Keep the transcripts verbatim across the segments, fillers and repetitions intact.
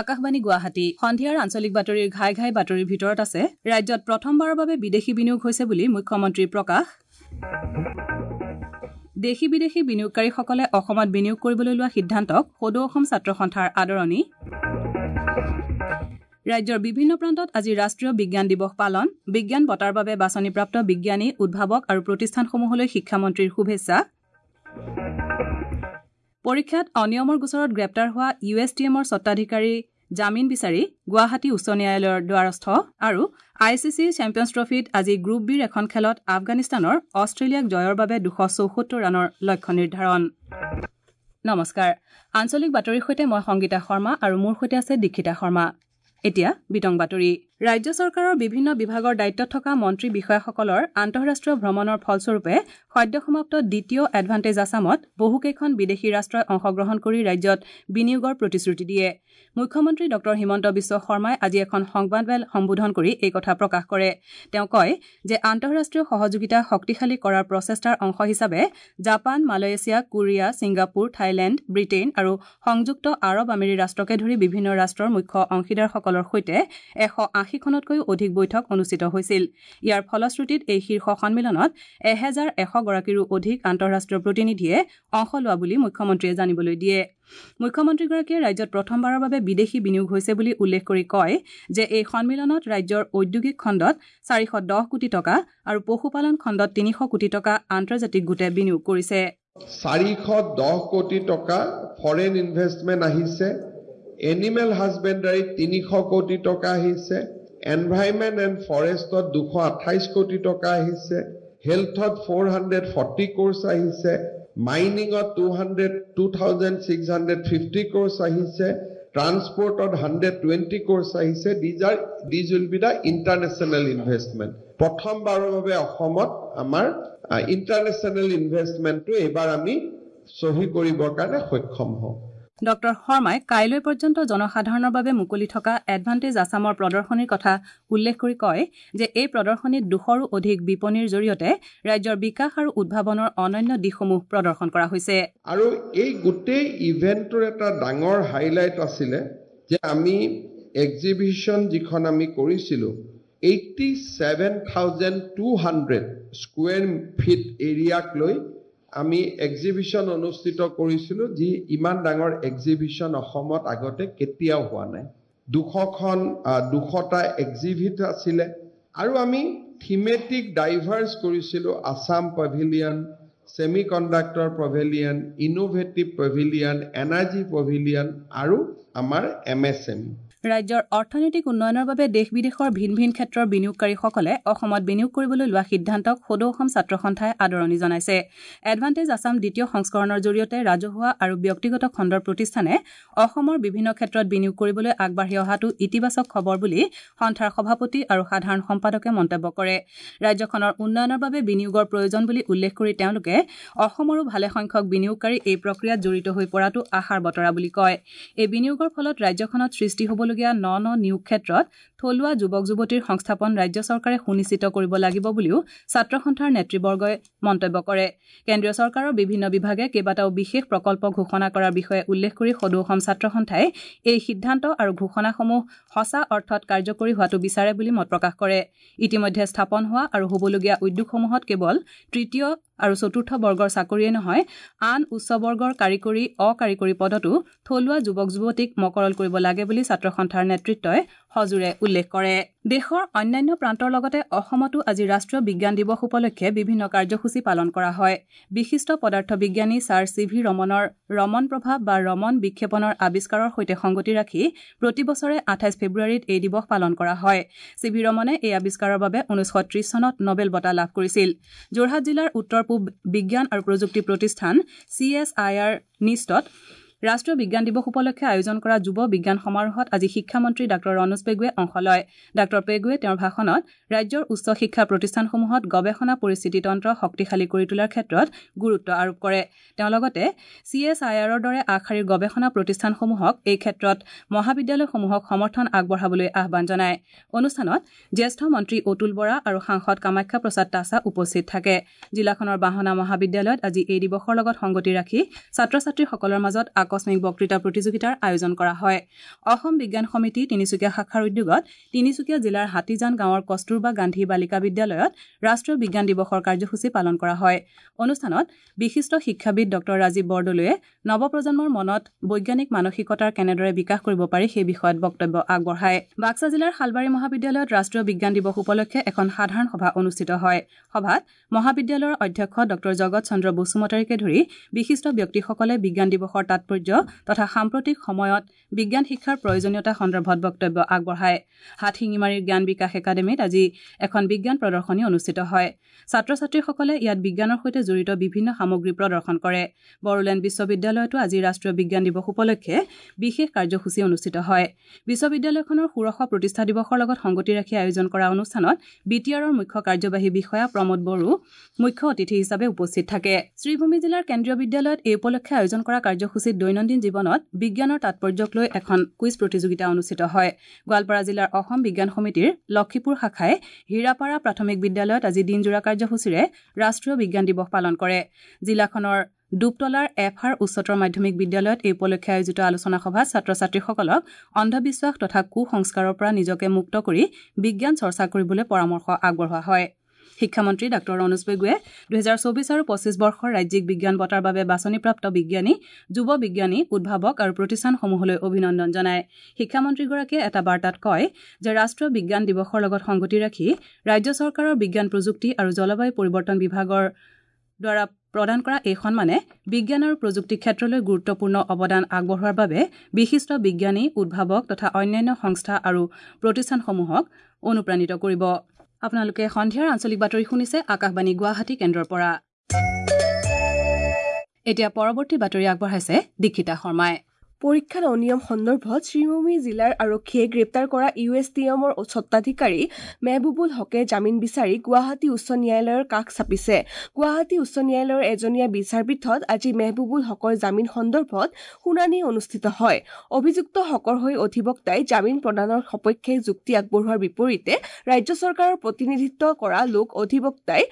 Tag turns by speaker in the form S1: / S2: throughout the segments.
S1: আকাশবাণী গুৱাহাটী সন্ধিয়াৰ আঞ্চলিক বাতৰিৰ ঘাই ঘাই বাতৰিৰ ভিতৰত আছে ৰাজ্যত প্ৰথমবাৰৰ বাবে বিদেশী বিনিয়োগ হৈছে বুলি মুখ্যমন্ত্ৰীৰ প্ৰকাশ দেশী বিদেশী বিনিয়োগকাৰীসকলে অসমত বিনিয়োগ কৰিবলৈ লোৱা সিদ্ধান্তক সদৌ অসম ছাত্ৰ সন্থাৰ আদৰণি ৰাজ্যৰ বিভিন্ন প্ৰান্তত আজি ৰাষ্ট্ৰীয় বিজ্ঞান দিৱস পালন বিজ্ঞান বঁটাৰ বাবে বাছনিপ্ৰাপ্ত বিজ্ঞানী উদ্ভাৱক আৰু প্ৰতিষ্ঠানসমূহলৈ শিক্ষামন্ত্ৰীৰ শুভেচ্ছা পৰীক্ষাত অনিয়মৰ গোচৰত গ্ৰেপ্তাৰ হোৱা ইউ এছ টি এমৰ স্বত্বাধিকাৰী জামিন বিচাৰি গুৱাহাটী উচ্চ ন্যায়ালয়ৰ দ্বাৰস্থ আৰু I C C champions ট্ৰফীত আজি গ্ৰুপ বিৰ এখন খেলত আফগানিস্তানৰ অষ্ট্ৰেলিয়াক জয়ৰ বাবে দুশ চৌসত্তৰ ৰানৰ লক্ষ্য নিৰ্ধাৰণ। নমস্কাৰ, আঞ্চলিক বাতৰিৰ সৈতে মই সংগীতা শৰ্মা আৰু মোৰ সৈতে আছে দীক্ষিতা শৰ্মা। এতিয়া বিতং বাতৰি। ৰাজ্য চৰকাৰৰ বিভিন্ন বিভাগৰ দায়িত্বত থকা মন্ত্ৰী বিষয়াসকলৰ আন্তঃৰাষ্ট্ৰীয় ভ্ৰমণৰ ফলস্বৰূপে সদ্যসমাপ্ত দ্বিতীয় এডভান্টেজ আছামত বহুকেইখন বিদেশী ৰাষ্ট্ৰই অংশগ্ৰহণ কৰি ৰাজ্যত বিনিয়োগৰ প্ৰতিশ্ৰুতি দিয়ে। মুখ্যমন্ত্ৰী ডক্টৰ হিমন্ত বিশ্ব শৰ্মাই আজি এখন সংবাদমেল সম্বোধন কৰি এই কথা প্ৰকাশ কৰে। তেওঁ কয় যে আন্তঃৰাষ্ট্ৰীয় সহযোগিতা শক্তিশালী কৰাৰ প্ৰচেষ্টাৰ অংশ হিচাপে Japan, Malaysia, Korea, Singapore, Thailand, Britain আৰু সংযুক্ত আৰৱ আমিৰী ৰাষ্ট্ৰকে ধৰি বিভিন্ন ৰাষ্ট্ৰৰ মুখ্য অংশীদাৰসকলৰ সৈতে এশ আশীখনতকৈও অধিক বৈঠক অনুষ্ঠিত হৈছিল। ইয়াৰ ফলশ্ৰুতিত এই শীৰ্ষ সন্মিলনত এহেজাৰ এশ গৰাকীৰো অধিক আন্তঃৰাষ্ট্ৰীয় প্ৰতিনিধিয়ে অংশ লোৱা বুলি মুখ্যমন্ত্ৰীয়ে জানিবলৈ দিয়ে। মুখ্যমন্ত্ৰীগৰাকীয়ে ৰাজ্যত প্ৰথমবাৰৰ বাবে বিদেশী বিনিয়োগ হৈছে বুলি উল্লেখ কৰি কয় যে এই সন্মিলনত ৰাজ্যৰ ঔদ্যোগিক খণ্ডত চাৰিশ দহ কোটি টকা আৰু পশুপালন খণ্ডত তিনিশ কোটি টকা আন্তৰ্জাতিক গোটে বিনিয়োগ কৰিছে।
S2: চাৰিশ দহ কোটি টকা ফৰেইন ইনভেষ্টমেণ্ট আহিছে, এনিমেল হাজবেণ্ডাৰীত তিনিশ কোটি টকা আহিছে, এনভাইৰমেণ্ট এণ্ড ফৰেষ্টত দুশ আঠাইছ কোটি টকা আহিছে, হেল্থত ফ'ৰ হাণ্ড্ৰেড ফৰ্টি ক্ৰ'ৰ্ছ আহিছে, মাইনিঙত two hundred two thousand six hundred fifty crores আহিছে, ট্ৰান্সপৰ্টত হাণ্ড্ৰেড টুৱেণ্টি ক্ৰ'ৰ্ছ আহিছে। These are these will be the international investment. প্ৰথমবাৰৰ বাবে অসমত আমাৰ ইণ্টাৰনেশ্যনেল ইনভেষ্টমেণ্টটো এইবাৰ আমি চহী কৰিবৰ কাৰণে সক্ষম হওঁ।
S1: ডক্টৰ শৰ্মাই কাইলৈ পৰ্যন্ত জনসাধাৰণৰ বাবে মুকলি থকা এডভান্টেজ আছামৰ প্ৰদৰ্শনীৰ কথা উল্লেখ কৰি কয় যে এই প্ৰদৰ্শনীত দুশৰো অধিক বিপণীৰ জৰিয়তে ৰাজ্যৰ বিকাশ আৰু উদ্ভাৱনৰ অনন্য দিশসমূহ প্ৰদৰ্শন কৰা হৈছে।
S2: আৰু এই গোটেই ইভেণ্টটোৰ এটা ডাঙৰ হাইলাইট আছিলে যে আমি এক্সিবিশ্যন যিখন আমি কৰিছিলোঁ eighty seven thousand two hundred square feet এৰিয়াক লৈ আমি এক্সিবিশ্যন অনুষ্ঠিত কৰিছিলোঁ, যি ইমান ডাঙৰ এক্সিবিশ্যন অসমত আগতে কেতিয়াও হোৱা নাই। দুশখন দুশটা এক্সিবিট আছিলে আৰু আমি থিমেটিক ডাইভাৰ্ছ কৰিছিলোঁ। Assam pavilion, semi conductor pavilion, innovative pavilion, energy pavilion আৰু আমাৰ এম এছ এম ই।
S1: ৰাজ্যৰ অৰ্থনৈতিক উন্নয়নৰ বাবে দেশ বিদেশৰ ভিন ভিন ক্ষেত্ৰৰ বিনিয়োগকাৰীসকলে অসমত বিনিয়োগ কৰিবলৈ লোৱা সিদ্ধান্তক সদৌ অসম ছাত্ৰ সন্থাই আদৰণি জনাইছে। এডভান্টেজ আছাম দ্বিতীয় সংস্কৰণৰ জৰিয়তে ৰাজহুৱা আৰু ব্যক্তিগত খণ্ডৰ প্ৰতিষ্ঠানে অসমৰ বিভিন্ন ক্ষেত্ৰত বিনিয়োগ কৰিবলৈ আগবাঢ়ি অহাটো ইতিবাচক খবৰ বুলি সন্থাৰ সভাপতি আৰু সাধাৰণ সম্পাদকে মন্তব্য কৰে। ৰাজ্যখনৰ উন্নয়নৰ বাবে বিনিয়োগৰ প্ৰয়োজন বুলি উল্লেখ কৰি তেওঁলোকে অসমৰো ভালেসংখ্যক বিনিয়োগকাৰী এই প্ৰক্ৰিয়াত জড়িত হৈ পৰাটো আশাৰ বতৰা বুলি কয়। এই বিনিয়োগৰ ফলত ৰাজ্যখনত সৃষ্টি হ'বলগীয়া ন ন নিয়োগ ক্ষেত্ৰত থলুৱা যুৱক যুৱতীৰ সংস্থাপন ৰাজ্য চৰকাৰে সুনিশ্চিত কৰিব লাগিব বুলিও ছাত্ৰ সন্থাৰ নেতৃবৰ্গই মন্তব্য কৰে। কেন্দ্ৰীয় চৰকাৰৰ বিভিন্ন বিভাগে কেইবাটাও বিশেষ প্ৰকল্প ঘোষণা কৰাৰ বিষয়ে উল্লেখ কৰি সদৌ অসম ছাত্ৰ সন্থাই এই সিদ্ধান্ত আৰু ঘোষণাসমূহ সঁচা অৰ্থত কাৰ্যকৰী হোৱাটো বিচাৰে বুলি মত প্ৰকাশ কৰে। ইতিমধ্যে স্থাপন হোৱা আৰু হ'বলগীয়া উদ্যোগসমূহত কেৱল তৃতীয় আৰু চতুৰ্থ বৰ্গৰ চাকৰিয়ে নহয়, আন উচ্চ বৰ্গৰ কাৰিকৰী অকাৰিকৰী পদতো থলুৱা যুৱক যুৱতীক মকৰল কৰিব লাগে বুলি ছাত্ৰ সন্থাৰ নেতৃত্বই সজোৰে উল্লেখ কৰে। দেশৰ অন্যান্য প্ৰান্তৰ লগতে অসমতো আজি ৰাষ্ট্ৰীয় বিজ্ঞান দিৱস উপলক্ষে বিভিন্ন কাৰ্যসূচী পালন কৰা হয়। বিশিষ্ট পদাৰ্থ বিজ্ঞানী ছাৰ চি ভি ৰমনৰ ৰমন প্ৰভাৱ বা ৰমন বিক্ষেপণৰ আৱিষ্কাৰৰ সৈতে সংগতি ৰাখি প্ৰতি বছৰে আঠাইছ ফেব্ৰুৱাৰীত এই দিৱস পালন কৰা হয়। চি ভি ৰমনে এই আৱিষ্কাৰৰ বাবে ঊনৈছশ ত্ৰিশ চনত নবেল বঁটা লাভ কৰিছিল। যোৰহাট জিলাৰ উত্তৰ পূব বিজ্ঞান আৰু প্ৰযুক্তি প্ৰতিষ্ঠান চি এছ I R নিষ্টত ৰাষ্ট্ৰীয় বিজ্ঞান দিৱস উপলক্ষে আয়োজন কৰা যুৱ বিজ্ঞান সমাৰোহত আজি শিক্ষামন্ত্ৰী ডাঃ ৰণোজ পেগুৱে অংশ লয়। ডাঃ পেগুৱে তেওঁৰ ভাষণত ৰাজ্যৰ উচ্চ শিক্ষা প্ৰতিষ্ঠানসমূহত গৱেষণা পৰিস্থিতিতন্ত্ৰ শক্তিশালী কৰি তোলাৰ ক্ষেত্ৰত গুৰুত্ব আৰোপ কৰে। তেওঁ লগতে চি এছ I আৰৰ দৰে আগশাৰীৰ গৱেষণা প্ৰতিষ্ঠানসমূহক এই ক্ষেত্ৰত মহাবিদ্যালয়সমূহক সমৰ্থন আগবঢ়াবলৈ আহ্বান জনায়। অনুষ্ঠানত জ্যেষ্ঠ মন্ত্ৰী অতুল বৰা আৰু সাংসদ কামাখ্যা প্ৰসাদ তাছা উপস্থিত থাকে। জিলাখনৰ বাহনা মহাবিদ্যালয়ত আজি এই দিৱসৰ লগত সংগতি ৰাখি ছাত্ৰ ছাত্ৰীসকলৰ মাজত আকস্মিক বক্তৃতা প্ৰতিযোগিতাৰ আয়োজন কৰা হয়। অসম বিজ্ঞান সমিতি তিনিচুকীয়া শাখাৰ উদ্যোগত তিনিচুকীয়া জিলাৰ হাতীজান গাঁৱৰ কস্তুৰবা গান্ধী বালিকা বিদ্যালয়ত ৰাষ্ট্ৰীয় বিজ্ঞান দিৱসৰ কাৰ্যসূচী পালন কৰা হয়। অনুষ্ঠানত বিশিষ্ট শিক্ষাবিদ ডঃ ৰাজীৱ বৰদলৈয়ে নৱপ্ৰজন্মৰ মনত বৈজ্ঞানিক মানসিকতাৰ কেনেদৰে বিকাশ কৰিব পাৰি সেই বিষয়ত বক্তব্য আগবঢ়ায়। বাক্সা জিলাৰ শালবাৰী মহাবিদ্যালয়ত ৰাষ্ট্ৰীয় বিজ্ঞান দিৱস উপলক্ষে এখন সাধাৰণ সভা অনুষ্ঠিত হয়। সভাত মহাবিদ্যালয়ৰ অধ্যক্ষ ডঃ জগত চন্দ্ৰ বসুমতাৰীকে ধৰি বিশিষ্ট ব্যক্তিসকলে বিজ্ঞান দিৱসৰ তাৎপৰ্য তথা সাম্প্ৰতিক সময়ত বিজ্ঞান শিক্ষাৰ প্ৰয়োজনীয়তা সন্দৰ্ভত বক্তব্য আগবঢ়ায়। হাটশিঙিমাৰীৰ জ্ঞান বিকাশ একাডেমীত আজি এখন বিজ্ঞান প্ৰদৰ্শনী অনুষ্ঠিত হয়। ছাত্ৰ ছাত্ৰীসকলে ইয়াত বিজ্ঞানৰ সৈতে জড়িত বিভিন্ন সামগ্ৰী প্ৰদৰ্শন কৰে। বড়োলেণ্ড বিশ্ববিদ্যালয়তো আজি ৰাষ্ট্ৰীয় বিজ্ঞান দিৱস উপলক্ষে বিশেষ কাৰ্যসূচী অনুষ্ঠিত হয়। বিশ্ববিদ্যালয়খনৰ ষোড়শ প্ৰতিষ্ঠা দিৱসৰ লগত সংগতি ৰাখি আয়োজন কৰা অনুষ্ঠানত বি টি আৰৰ মুখ্য কাৰ্যবাহী বিষয়া প্ৰমোদ বড়ো মুখ্য অতিথি হিচাপে উপস্থিত থাকে। শ্ৰীভূমি জিলাৰ কেন্দ্ৰীয় বিদ্যালয়ত এই উপলক্ষে আয়োজন কৰা কাৰ্যসূচীত দৈনন্দিন জীৱনত বিজ্ঞানৰ তাৎপৰ্যক লৈ এখন কুইজ প্ৰতিযোগিতা অনুষ্ঠিত হয়। গোৱালপাৰা জিলাৰ অসম বিজ্ঞান সমিতিৰ লক্ষীপুৰ শাখাই হীৰাপাৰা প্ৰাথমিক বিদ্যালয়ত আজি দিনজোৰা কাৰ্যসূচীৰে ৰাষ্ট্ৰীয় বিজ্ঞান দিৱস পালন কৰে। জিলাখনৰ ডুবতলাৰ এফ আৰ উচ্চতৰ মাধ্যমিক বিদ্যালয়ত এই উপলক্ষে আয়োজিত আলোচনা সভাত ছাত্ৰ ছাত্ৰীসকলক অন্ধবিশ্বাস তথা কুসংস্কাৰৰ পৰা নিজকে মুক্ত কৰি বিজ্ঞান চৰ্চা কৰিবলৈ পৰামৰ্শ আগবঢ়োৱা হয়। শিক্ষামন্ত্ৰী ডাঃ ৰণোজ পেগুৱে দুহেজাৰ চৌবিছ আৰু পঁচিছ বৰ্ষৰ ৰাজ্যিক বিজ্ঞান বঁটাৰ বাবে বাছনিপ্ৰাপ্ত বিজ্ঞানী, যুৱ বিজ্ঞানী, উদ্ভাৱক আৰু প্ৰতিষ্ঠানসমূহলৈ অভিনন্দন জনায়। শিক্ষামন্ত্ৰীগৰাকীয়ে এটা বাৰ্তাত কয় যে ৰাষ্ট্ৰীয় বিজ্ঞান দিৱসৰ লগত সংগতি ৰাখি ৰাজ্য চৰকাৰৰ বিজ্ঞান প্ৰযুক্তি আৰু জলবায়ু পৰিৱৰ্তন বিভাগৰ দ্বাৰা প্ৰদান কৰা এই সন্মানে বিজ্ঞান আৰু প্ৰযুক্তি ক্ষেত্ৰলৈ গুৰুত্বপূৰ্ণ অৱদান আগবঢ়োৱাৰ বাবে বিশিষ্ট বিজ্ঞানী, উদ্ভাৱক তথা অন্যান্য সংস্থা আৰু প্ৰতিষ্ঠানসমূহক অনুপ্ৰাণিত কৰিব। আপোনালোকে সন্ধিয়াৰ আঞ্চলিক বাতৰি শুনিছে আকাশবাণী গুৱাহাটী কেন্দ্ৰৰ পৰা। এতিয়া পৰৱৰ্তী বাতৰি আগবঢ়াইছে দীক্ষিতা শৰ্মাই।
S3: পৰীক্ষাত অনিয়ম সন্দৰ্ভত শ্ৰীভূমি জিলাৰ আৰক্ষীয়ে গ্ৰেপ্তাৰ কৰা ইউ এছ টি এমৰ স্বত্বাধিকাৰী মেহবুবুল হকে জামিন বিচাৰি গুৱাহাটী উচ্চ ন্যায়ালয়ৰ কাষ চাপিছে। গুৱাহাটী উচ্চ ন্যায়ালয়ৰ এজনীয়া বিচাৰপীঠত আজি মেহবুবুল হকৰ জামিন সন্দৰ্ভত শুনানি অনুষ্ঠিত হয়। অভিযুক্ত হকৰ হৈ অধিবক্তাই জামিন প্ৰদানৰ সপক্ষে যুক্তি আগবঢ়োৱাৰ বিপৰীতে ৰাজ্য চৰকাৰৰ প্ৰতিনিধিত্ব কৰা লোক অধিবক্তাই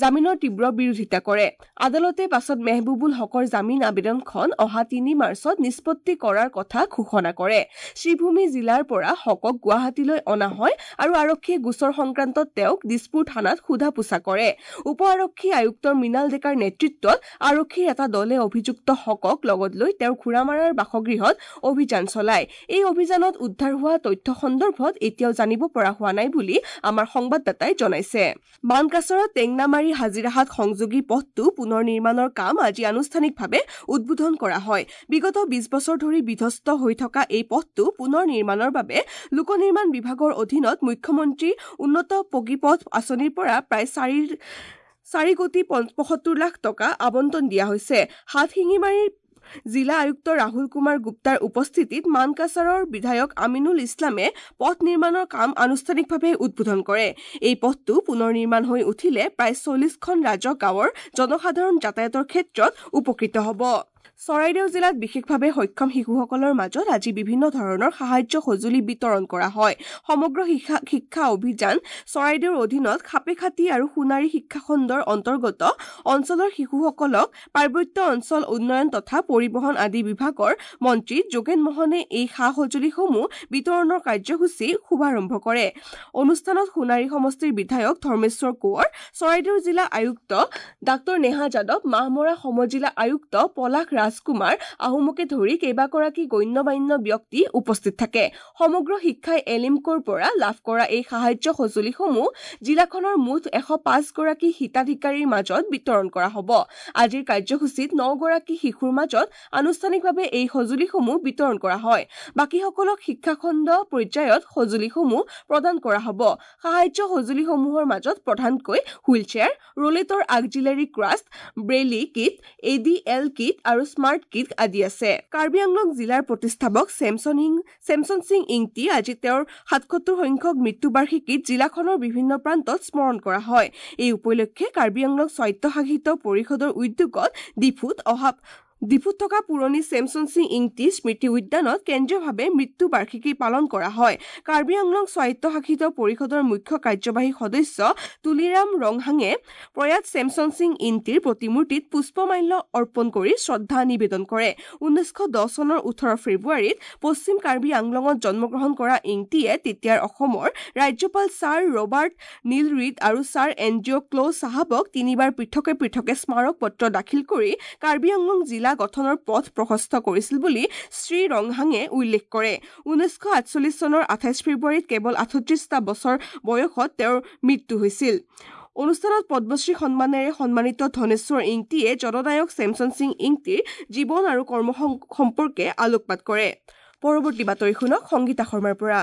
S3: জামিনৰ তীব্ৰ বিৰোধিতা কৰে। আদালতে পাছত মেহবুবুল হকৰ জামিন আবেদনখন অহা তিনি মাৰ্চত নিষ্পত্তি কৰাৰ কথা ঘোষণা কৰে। শ্ৰীভূমি জিলাৰ পৰা হকক গুৱাহাটীলৈ অনা হয় আৰু আৰক্ষীয়ে গোচৰ সংক্ৰান্তত তেওঁক দিছপুৰ থানাত সোধা পোছা কৰে। উপ আৰক্ষী আয়ুক্ত মৃণাল ডেকাৰ নেতৃত্বত আৰক্ষীৰ এটা দলে অভিযুক্ত হকক লগত লৈ তেওঁৰ ঘোঁৰামাৰাৰ বাসগৃহত অভিযান চলায়। এই অভিযানত উদ্ধাৰ হোৱা তথ্য সন্দৰ্ভত এতিয়াও জানিব পৰা হোৱা নাই বুলি আমাৰ সংবাদদাতাই জনাইছে। মানকাচৰত টেংনামাৰী হাজিৰাহাট সংযোগী পথটো পুনৰ নিৰ্মাণৰ কাম আজি আনুষ্ঠানিকভাৱে উদ্বোধন কৰা হয়। বিগত বিশ বছৰ ধৰি বিধ্বস্ত হৈ থকা এই পথটো পুনৰ নিৰ্মাণৰ বাবে লোক নিৰ্মাণ বিভাগৰ অধীনত মুখ্যমন্ত্ৰী উন্নত পকী পথ আঁচনিৰ পৰা প্ৰায় চাৰি চাৰি কোটি পঁয়সত্তৰ লাখ টকা আবণ্টন দিয়া হৈছে। হাতশিঙিমাৰীৰ জিলা আয়ুক্ত ৰাহুল কুমাৰ গুপ্তাৰ উপস্থিতিত মানকাছাৰৰ বিধায়ক আমিনুল ইছলামে পথ নিৰ্মাণৰ কাম আনুষ্ঠানিকভাৱে উদ্বোধন কৰে। এই পথটো পুনৰ নিৰ্মাণ হৈ উঠিলে প্ৰায় চল্লিছখন ৰাজহ গাঁৱৰ জনসাধাৰণ যাতায়াতৰ ক্ষেত্ৰত উপকৃত হ'ব। চৰাইদেউ জিলাত বিশেষভাৱে সক্ষম শিশুসকলৰ মাজত আজি বিভিন্ন ধৰণৰ সাহায্য সঁজুলি বিতৰণ কৰা হয়। সমগ্ৰ শিক্ষা অভিযান চৰাইদেউৰ অধীনত খাপেখাতি আৰু সোণাৰী শিক্ষাখণ্ডৰ অন্তৰ্গত অঞ্চলৰ শিশুসকলক পাৰ্বত্য অঞ্চল উন্নয়ন তথা পৰিবহণ আদি বিভাগৰ মন্ত্ৰী যোগেন মহনে এই সা সঁজুলিসমূহ বিতৰণৰ কাৰ্যসূচী শুভাৰম্ভ কৰে। অনুষ্ঠানত সোণাৰী সমষ্টিৰ বিধায়ক ধৰ্মেশ্বৰ কোঁৱৰ, চৰাইদেউ জিলা আয়ুক্ত ডাঃ নেহা যাদৱ, মাহমৰা সমজিলা আয়ুক্ত পলাশ ৰাজকুমাৰ আহোমকে ধৰি কেইবাগৰাকী গণ্যমান্য ব্যক্তি উপস্থিত থাকে। সমগ্ৰ শিক্ষাই এলিমকোৰ পৰা লাভ কৰা এই সাহায্য সঁজুলিসমূহ জিলাখনৰ মুঠ এশ পাঁচগৰাকী হিতাধিকাৰীৰ মাজত বিতৰণ কৰা হ'ব। আজিৰ কাৰ্যসূচীত নগৰাকী শিশুৰ মাজত আনুষ্ঠানিকভাৱে এই সঁজুলিসমূহ বিতৰণ কৰা হয়। বাকীসকলক শিক্ষাখণ্ড পৰ্যায়ত সঁজুলিসমূহ প্ৰদান কৰা হ'ব। সাহায্য সঁজুলিসমূহৰ মাজত প্ৰধানকৈ wheelchair, rollator auxiliary crutch, Braille kit, A D L kit আৰু স্মাৰ্ট কিট আদি আছে। কাৰ্বি আংলং জিলাৰ প্ৰতিষ্ঠাপক চেমছন চেমছন সিং ইংটি আজি তেওঁৰ সাতসত্তৰ সংখ্যক মৃত্যুবাৰ্ষিকীত জিলাখনৰ বিভিন্ন প্ৰান্তত স্মৰণ কৰা হয়। এই উপলক্ষে কাৰ্বি আংলং স্বায়ত্তশাসিত পৰিষদৰ উদ্যোগত ডিফুত অহা ডিফুত থকা পুৰণি চেমছন সিং ইংতি স্মৃতি উদ্যানত কেন্দ্ৰীয়ভাৱে মৃত্যু বাৰ্ষিকী পালন কৰা হয়। কাৰ্বি আংলং স্বায়ত্তশাসিত পৰিষদৰ মুখ্য কাৰ্যবাহী সদস্য তুলিৰাম ৰংহাঙে প্ৰয়াত চেমছন সিং ইংতিৰ প্ৰতিমূৰ্তিত পুষ্পমাল্য অৰ্পণ কৰি শ্ৰদ্ধা নিবেদন কৰে। ঊনৈছশ দহ চনৰ ওঠৰ ফেব্ৰুৱাৰীত পশ্চিম কাৰ্বি আংলঙত জন্মগ্ৰহণ কৰা ইংতিয়ে তেতিয়াৰ অসমৰ ৰাজ্যপাল ছাৰ ৰবাৰ্ট নীল ৰিড আৰু ছাৰ এণ্ড্ৰিউ ক্ল' চাহাবক তিনিবাৰ পৃথকে পৃথকে স্মাৰক পত্ৰ দাখিল কৰি কাৰ্বি আংলং জিলা গঠনৰ পথ প্ৰশস্ত কৰিছিল বুলি শ্ৰী ৰংহাঙে উল্লেখ কৰে। ঊনৈছশ আঠচল্লিছ চনৰ আঠাইছ ফেব্ৰুৱাৰীত কেৱল আঠত্ৰিছটা বছৰ বয়সত তেওঁৰ মৃত্যু হৈছিল। অনুষ্ঠানত পদ্মশ্ৰী সন্মানেৰে সন্মানিত ধনেশ্বৰ ইংতিয়ে জননায়ক চেমছন সিং ইংতিৰ জীৱন আৰু কৰ্ম সম্পৰ্কে আলোকপাত কৰে। পৰৱৰ্তী বাতৰি শুনক সংগীতা শৰ্মাৰ পৰা।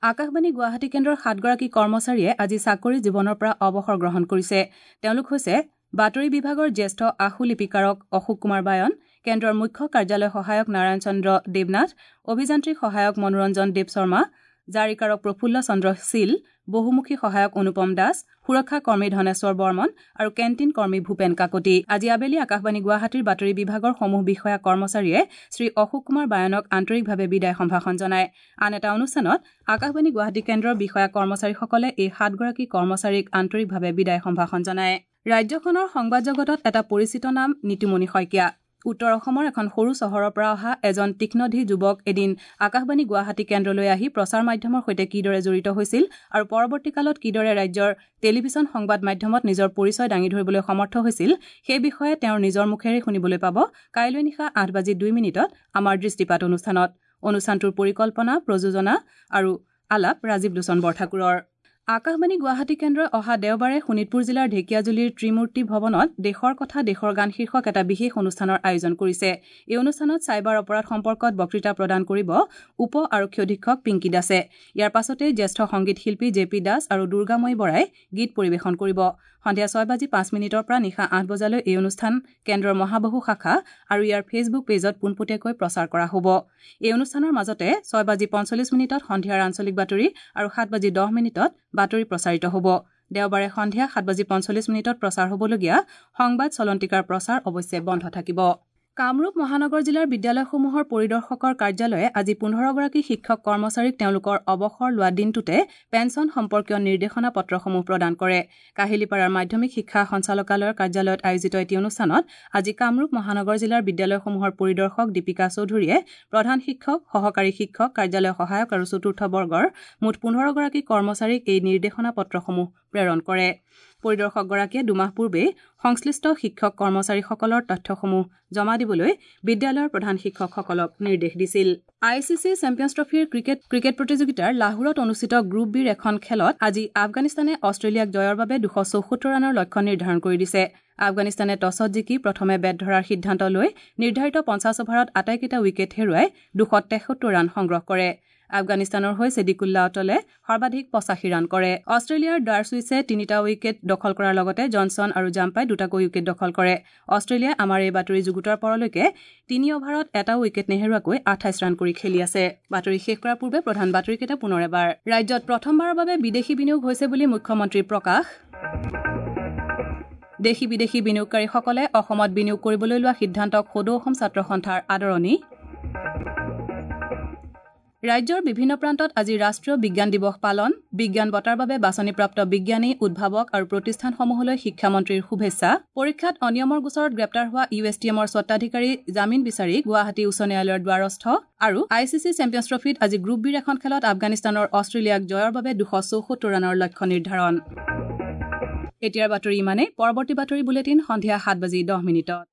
S1: আকাশবাণী গুৱাহাটী কেন্দ্ৰৰ সাতগৰাকী কৰ্মচাৰীয়ে আজি চাকৰি জীৱনৰ পৰা অৱসৰ গ্ৰহণ কৰিছে। তেওঁলোক হৈছে বাতৰি বিভাগৰ জ্যেষ্ঠ আশুলিপিকাৰক অশোক কুমাৰ বায়ন, কেন্দ্ৰৰ মুখ্য কাৰ্যালয় সহায়ক নাৰায়ণ চন্দ্ৰ দেৱনাথ, অভিযান্ত্ৰিক সহায়ক মনোৰঞ্জন দেৱ শৰ্মা, জাৰিকাৰক প্ৰফুল্ল চন্দ্ৰ শীল, বহুমুখী সহায়ক অনুপম দাস, সুৰক্ষা কৰ্মী ধনেশ্বৰ বৰ্মন আৰু কেণ্টিন কৰ্মী ভূপেন কাকতি। আজি আবেলি আকাশবাণী গুৱাহাটীৰ বাতৰি বিভাগৰ সমূহ বিষয়া কৰ্মচাৰীয়ে শ্ৰী অশোক কুমাৰ বায়নক আন্তৰিকভাৱে বিদায় সম্ভাষণ জনায়। আন এটা অনুষ্ঠানত আকাশবাণী গুৱাহাটী কেন্দ্ৰৰ বিষয়া কৰ্মচাৰীসকলে এই সাতগৰাকী কৰ্মচাৰীক আন্তৰিকভাৱে বিদায় সম্ভাষণ জনায়। ৰাজ্যখনৰ সংবাদ জগতত এটা পৰিচিত নাম নিতুমণি শইকীয়া। উত্তৰ অসমৰ এখন সৰু চহৰৰ পৰা অহা এজন তীক্ষ্ণধী যুৱক এদিন আকাশবাণী গুৱাহাটী কেন্দ্ৰলৈ আহি প্ৰচাৰ মাধ্যমৰ সৈতে কিদৰে জড়িত হৈছিল আৰু পৰৱৰ্তী কালত কিদৰে ৰাজ্যৰ টেলিভিছন সংবাদ মাধ্যমত নিজৰ পৰিচয় দাঙি ধৰিবলৈ সমৰ্থ হৈছিল সেই বিষয়ে তেওঁৰ নিজৰ মুখেৰে শুনিবলৈ পাব কাইলৈ নিশা আঠ বাজি দুই মিনিটত আমাৰ দৃষ্টিপাত অনুষ্ঠানত। অনুষ্ঠানটোৰ পৰিকল্পনা, প্ৰযোজনা আৰু আলাপ ৰাজীৱ লোচন বৰঠাকুৰৰ। আকাশবাণী গুৱাহাটী কেন্দ্ৰই অহা দেওবাৰে শোণিতপুৰ জিলাৰ ঢেকীয়াজুলিৰ ত্ৰিমূৰ্তি ভৱনত দেশৰ কথা দেশৰ গান শীৰ্ষক এটা বিশেষ অনুষ্ঠানৰ আয়োজন কৰিছে। এই অনুষ্ঠানত চাইবাৰ অপৰাধ সম্পৰ্কত বক্তৃতা প্ৰদান কৰিব উপ আৰক্ষী অধীক্ষক পিংকী দাসে। ইয়াৰ পাছতে জ্যেষ্ঠ সংগীত শিল্পী জে পি দাস আৰু দুৰ্গাময়ী বৰাই গীত পৰিৱেশন কৰিব। সন্ধিয়া ছয় বাজি পাঁচ মিনিটৰ পৰা নিশা আঠ বজালৈ এই অনুষ্ঠান কেন্দ্ৰৰ মহাবাহু শাখা আৰু ইয়াৰ ফেচবুক পেজত পোনপটীয়াকৈ প্ৰচাৰ কৰা হ'ব। এই অনুষ্ঠানৰ মাজতে ছয় বাজি পঞ্চল্লিছ মিনিটত সন্ধিয়াৰ আঞ্চলিক বাতৰি আৰু সাত বাজি দহ মিনিটত বাতৰি প্ৰচাৰিত হ'ব। দেওবাৰে সন্ধিয়া সাত বাজি পঞ্চল্লিছ মিনিটত প্ৰচাৰ হ'বলগীয়া সংবাদ চলন্তিকাৰ প্ৰচাৰ অৱশ্যে বন্ধ থাকিব। কামৰূপ মহানগৰ জিলাৰ বিদ্যালয়সমূহৰ পৰিদৰ্শকৰ কাৰ্যালয়ে আজি পোন্ধৰগৰাকী শিক্ষক কৰ্মচাৰীক তেওঁলোকৰ অৱসৰ লোৱা দিনটোতে পেঞ্চন সম্পৰ্কীয় নিৰ্দেশনা পত্ৰসমূহ প্ৰদান কৰে। কাহিলীপাৰাৰ মাধ্যমিক শিক্ষা সঞ্চালকালয়ৰ কাৰ্যালয়ত আয়োজিত এটি অনুষ্ঠানত আজি কামৰূপ মহানগৰ জিলাৰ বিদ্যালয়সমূহৰ পৰিদৰ্শক দীপিকা চৌধুৰীয়ে প্ৰধান শিক্ষক, সহকাৰী শিক্ষক, কাৰ্যালয় সহায়ক আৰু চতুৰ্থ বৰ্গৰ মুঠ পোন্ধৰগৰাকী কৰ্মচাৰীক এই নিৰ্দেশনা পত্ৰসমূহ প্ৰেৰণ কৰে। পৰিদৰ্শকগৰাকীয়ে দুমাহ পূৰ্বেই সংশ্লিষ্ট শিক্ষক কৰ্মচাৰীসকলৰ তথ্যসমূহ জমা দিবলৈ বিদ্যালয়ৰ প্ৰধান শিক্ষকসকলক নিৰ্দেশ দিছিল। I C C champions ট্ৰফীৰ ক্ৰিকেট ক্ৰিকেট প্ৰতিযোগিতাৰ লাহোৰত অনুষ্ঠিত গ্ৰুপ বিৰ এখন খেলত আজি আফগানিস্তানে অষ্ট্ৰেলিয়াক জয়ৰ বাবে দুশ চৌসত্তৰ ৰানৰ লক্ষ্য নিৰ্ধাৰণ কৰি দিছে। আফগানিস্তানে টছত জিকি প্ৰথমে বেট ধৰাৰ সিদ্ধান্ত লৈ নিৰ্ধাৰিত পঞ্চাছ অভাৰত আটাইকেইটা উইকেট হেৰুৱাই দুশ তেসত্তৰ ৰান সংগ্ৰহ কৰে। আফগানিস্তানৰ হৈ ছেদিকুল্লা অটলে সৰ্বাধিক পঁচাশী ৰান কৰে। অষ্ট্ৰেলিয়াৰ ডাৰছুইছে তিনিটা উইকেট দখল কৰাৰ লগতে জনছন আৰু জাম্পাই দুটাকৈ উইকেট দখল কৰে। অষ্ট্ৰেলিয়াই আমাৰ এই বাতৰি যুগুতোৱাৰ পৰলৈকে তিনি অভাৰত এটাও উইকেট নেহেৰুৱাকৈ আঠাইছ ৰান কৰি খেলি আছে। বাতৰি শেষ কৰাৰ পূৰ্বে প্ৰধান বাতৰিকেইটা পুনৰ এবাৰ। ৰাজ্যত প্ৰথমবাৰৰ বাবে বিদেশী বিনিয়োগ হৈছে বুলি মুখ্যমন্ত্ৰীৰ প্ৰকাশ। দেশী বিদেশী বিনিয়োগকাৰীসকলে অসমত বিনিয়োগ কৰিবলৈ লোৱা সিদ্ধান্তক সদৌ অসম ছাত্ৰ সন্থাৰ আদৰণি। ৰাজ্যৰ বিভিন্ন প্ৰান্তত আজি ৰাষ্ট্ৰীয় বিজ্ঞান দিৱস পালন। বিজ্ঞান বঁটাৰ বাবে বাছনিপ্ৰাপ্ত বিজ্ঞানী, উদ্ভাৱক আৰু প্ৰতিষ্ঠানসমূহলৈ শিক্ষামন্ত্ৰীৰ শুভেচ্ছা। পৰীক্ষাত অনিয়মৰ গোচৰত গ্ৰেপ্তাৰ হোৱা ইউ এছ টি এমৰ স্বত্বাধিকাৰী জামিন বিচাৰি গুৱাহাটী উচ্চ ন্যায়ালয়ৰ দ্বাৰস্থ। আৰু I C C champions ট্ৰফীত আজি গ্ৰুপ বিৰ এখন খেলত আফগানিস্তানৰ অষ্ট্ৰেলিয়াক জয়ৰ বাবে দুশ চৌসত্তৰ ৰানৰ লক্ষ্য নিৰ্ধাৰণ। এতিয়াৰ বাতৰি ইমানেই। পৰৱৰ্তী বাতৰি বুলেটিন সন্ধিয়া সাত বাজি দহ মিনিটত।